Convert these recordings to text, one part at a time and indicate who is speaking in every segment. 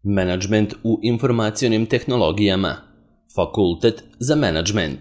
Speaker 1: Menadžment u informacionim tehnologijama. Fakultet za menadžment.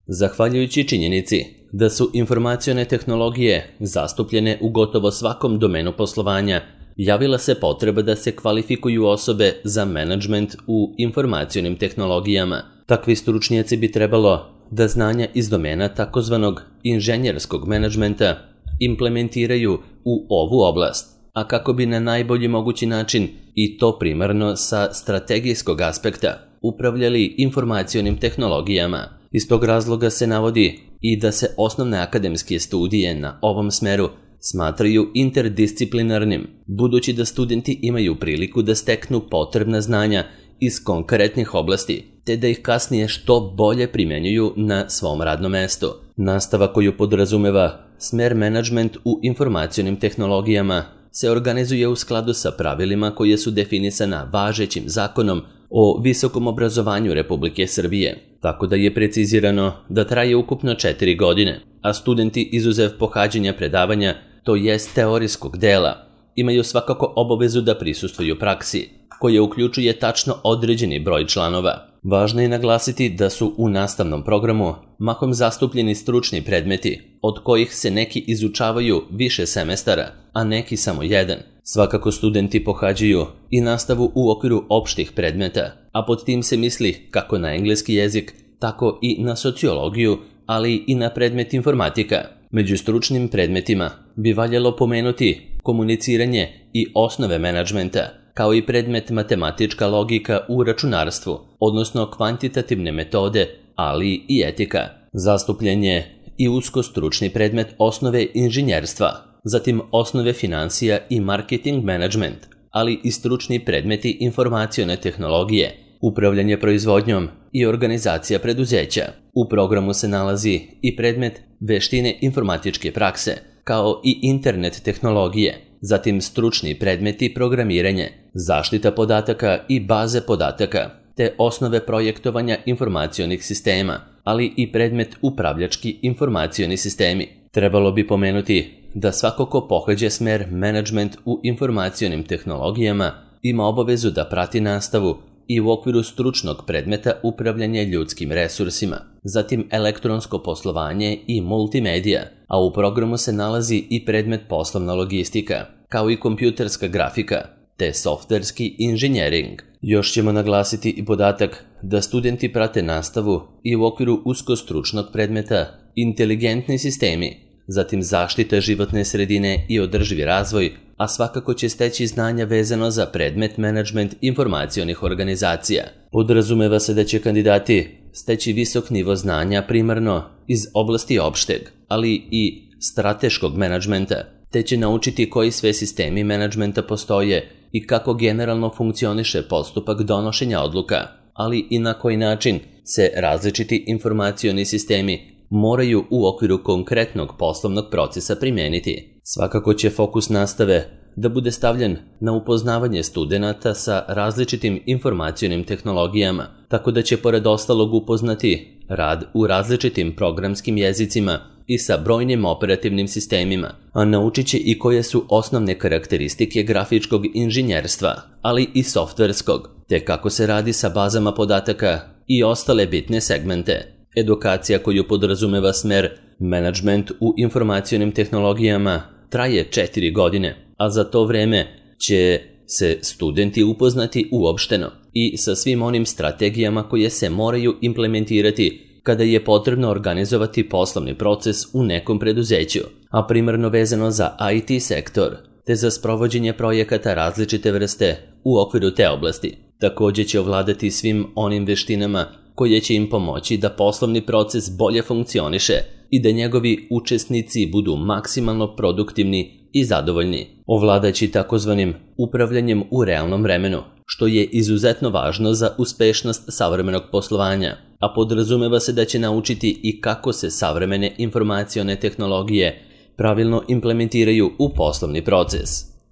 Speaker 1: Zahvaljujući činjenici da su informacione tehnologije zastupljene u gotovo svakom domenu poslovanja, javila se potreba da se kvalifikuju osobe za menadžment u informacionim tehnologijama. Takvi stručnjaci bi trebalo da znanja iz domena takozvanog inženjerskog menadžmenta implementiraju u ovu oblast, a kako bi na najbolji mogući način, i to primarno sa strategijskog aspekta, upravljali informacionim tehnologijama. Iz tog razloga se navodi i da se osnovne akademske studije na ovom smeru smatraju interdisciplinarnim, budući da studenti imaju priliku da steknu potrebna znanja iz konkretnih oblasti, te da ih kasnije što bolje primenjuju na svom radnom mestu. Nastava koju podrazumeva smer menadžment u informacionim tehnologijama se organizuje u skladu sa pravilima koje su definisana važećim zakonom o visokom obrazovanju Republike Srbije, tako da je precizirano da traje ukupno 4 godine, a studenti izuzev pohađanja predavanja, to jest teorijskog dela, imaju svakako obavezu da prisustvuju praksi, koja uključuje tačno određeni broj članova. Važno je naglasiti da su u nastavnom programu mahom zastupljeni stručni predmeti, od kojih se neki izučavaju više semestara, a neki samo jedan. Svakako studenti pohađaju i nastavu u okviru opštih predmeta, a pod tim se misli kako na engleski jezik, tako i na sociologiju, ali i na predmet informatika. Među stručnim predmetima bi valjalo pomenuti komuniciranje i osnove menadžmenta, kao i predmet matematička logika u računarstvu, odnosno kvantitativne metode, ali i etika. Zastupljen je i usko stručni predmet osnove inženjerstva, zatim osnove financija i marketing management, ali i stručni predmeti informacione tehnologije, upravljanje proizvodnjom i organizacija preduzeća. U programu se nalazi i predmet veštine informatičke prakse, kao i internet tehnologije, zatim stručni predmeti programiranje, zaštita podataka i baze podataka, te osnove projektovanja informacionih sistema, ali i predmet upravljački informacioni sistemi. Trebalo bi pomenuti da svako ko pohađa smer menadžment u informacionim tehnologijama ima obavezu da prati nastavu i u okviru stručnog predmeta upravljanje ljudskim resursima, zatim elektronsko poslovanje i multimedija, a u programu se nalazi i predmet poslovna logistika, kao i kompjuterska grafika, te softverski inženjering. Još ćemo naglasiti i podatak da studenti prate nastavu i u okviru uskostručnog predmeta inteligentni sistemi, zatim zaštita životne sredine i održivi razvoj, a svakako će steći znanja vezano za predmet menadžment informacionih organizacija. Podrazumeva se da će kandidati steći visok nivo znanja primarno iz oblasti opšteg, ali i strateškog menadžmenta, te će naučiti koji sve sistemi menadžmenta postoje i kako generalno funkcioniše postupak donošenja odluka, ali i na koji način se različiti informacioni sistemi moraju u okviru konkretnog poslovnog procesa primeniti. Svakako će fokus nastave da bude stavljen na upoznavanje studenata sa različitim informacionim tehnologijama, tako da će pored ostalog upoznati rad u različitim programskim jezicima i sa brojnim operativnim sistemima, a naučit će i koje su osnovne karakteristike grafičkog inženjerstva, ali i softverskog, te kako se radi sa bazama podataka i ostale bitne segmente. Edukacija koju podrazumeva smer menadžment u informacionim tehnologijama traje 4 godine, a za to vreme će se studenti upoznati uopšteno i sa svim onim strategijama koje se moraju implementirati kada je potrebno organizovati poslovni proces u nekom preduzeću, a primarno vezano za IT sektor, te za sprovođenje projekata različite vrste u okviru te oblasti. Također će ovladati svim onim veštinama koje će im pomoći da poslovni proces bolje funkcioniše i da njegovi učesnici budu maksimalno produktivni i zadovoljni, ovladajući takozvanim upravljanjem u realnom vremenu, što je izuzetno važno za uspešnost savremenog poslovanja, a podrazumeva se da će naučiti i kako se savremene informacione tehnologije pravilno implementiraju u poslovni proces.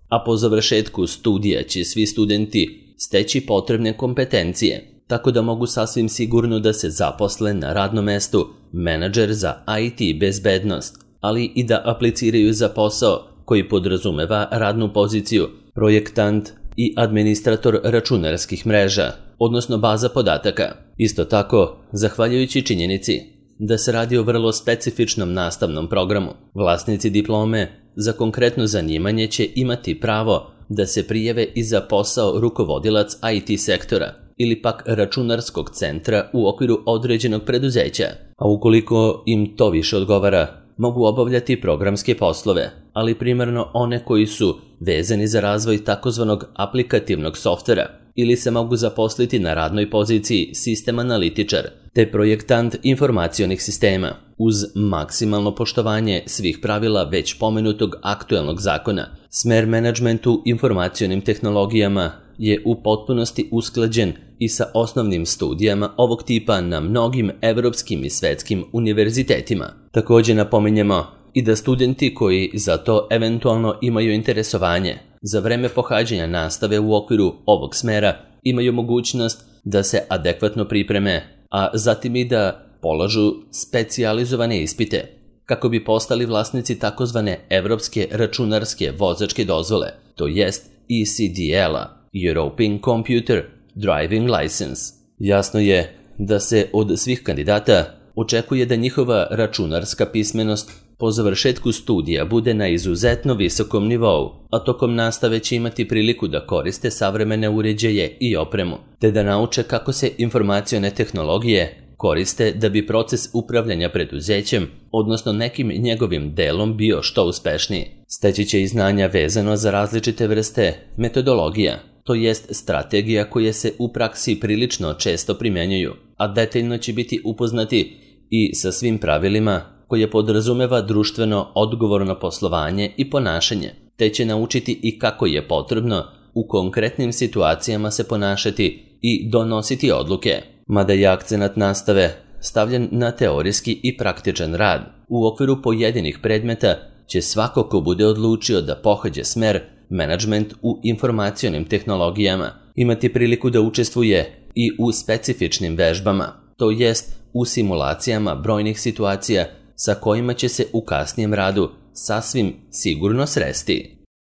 Speaker 1: A po završetku studija će svi studenti steći potrebne kompetencije, tako da mogu sasvim sigurno da se zaposle na radnom mestu menadžer za IT bezbednost, ali i da apliciraju za posao koji podrazumeva radnu poziciju projektant i administrator računarskih mreža, odnosno baza podataka. Isto tako, zahvaljujući činjenici da se radi o vrlo specifičnom nastavnom programu, vlasnici diplome za konkretno zanimanje će imati pravo da se prijave i za posao rukovodilac IT sektora ili pak računarskog centra u okviru određenog preduzeća, a ukoliko im to više odgovara, mogu obavljati programske poslove, ali primarno one koji su vezani za razvoj takozvanog aplikativnog softvera ili se mogu zaposliti na radnoj poziciji sistem analitičar te projektant informacionih sistema uz maksimalno poštovanje svih pravila već pomenutog aktuelnog zakona. Smer menadžmentu informacionim tehnologijama je u potpunosti usklađen i sa osnovnim studijama ovog tipa na mnogim evropskim i svetskim univerzitetima. Također napominjemo i da studenti koji za to eventualno imaju interesovanje za vreme pohađanja nastave u okviru ovog smera imaju mogućnost da se adekvatno pripreme, a zatim i da polažu specijalizovane ispite kako bi postali vlasnici takozvane evropske računarske vozačke dozvole, to jest ECDL-a, European Computer Driving License. Jasno je da se od svih kandidata očekuje da njihova računarska pismenost po završetku studija bude na izuzetno visokom nivou, a tokom nastave će imati priliku da koriste savremene uređaje i opremu, te da nauče kako se informacione tehnologije koriste da bi proces upravljanja preduzećem, odnosno nekim njegovim delom bio što uspešniji. Steći će i znanja vezano za različite vrste metodologija, to jest strategija koje se u praksi prilično često primjenjuju, a detaljno će biti upoznati i sa svim pravilima koje podrazumeva društveno odgovorno poslovanje i ponašanje, te će naučiti i kako je potrebno u konkretnim situacijama se ponašati i donositi odluke. Mada je akcenat nastave stavljen na teorijski i praktičan rad, u okviru pojedinih predmeta će svako ko bude odlučio da pohađa smer menadžment u informacionim tehnologijama imati priliku da učestvuje i u specifičnim vežbama, to jest u simulacijama brojnih situacija sa kojima će se u kasnijem radu sasvim sigurno sresti.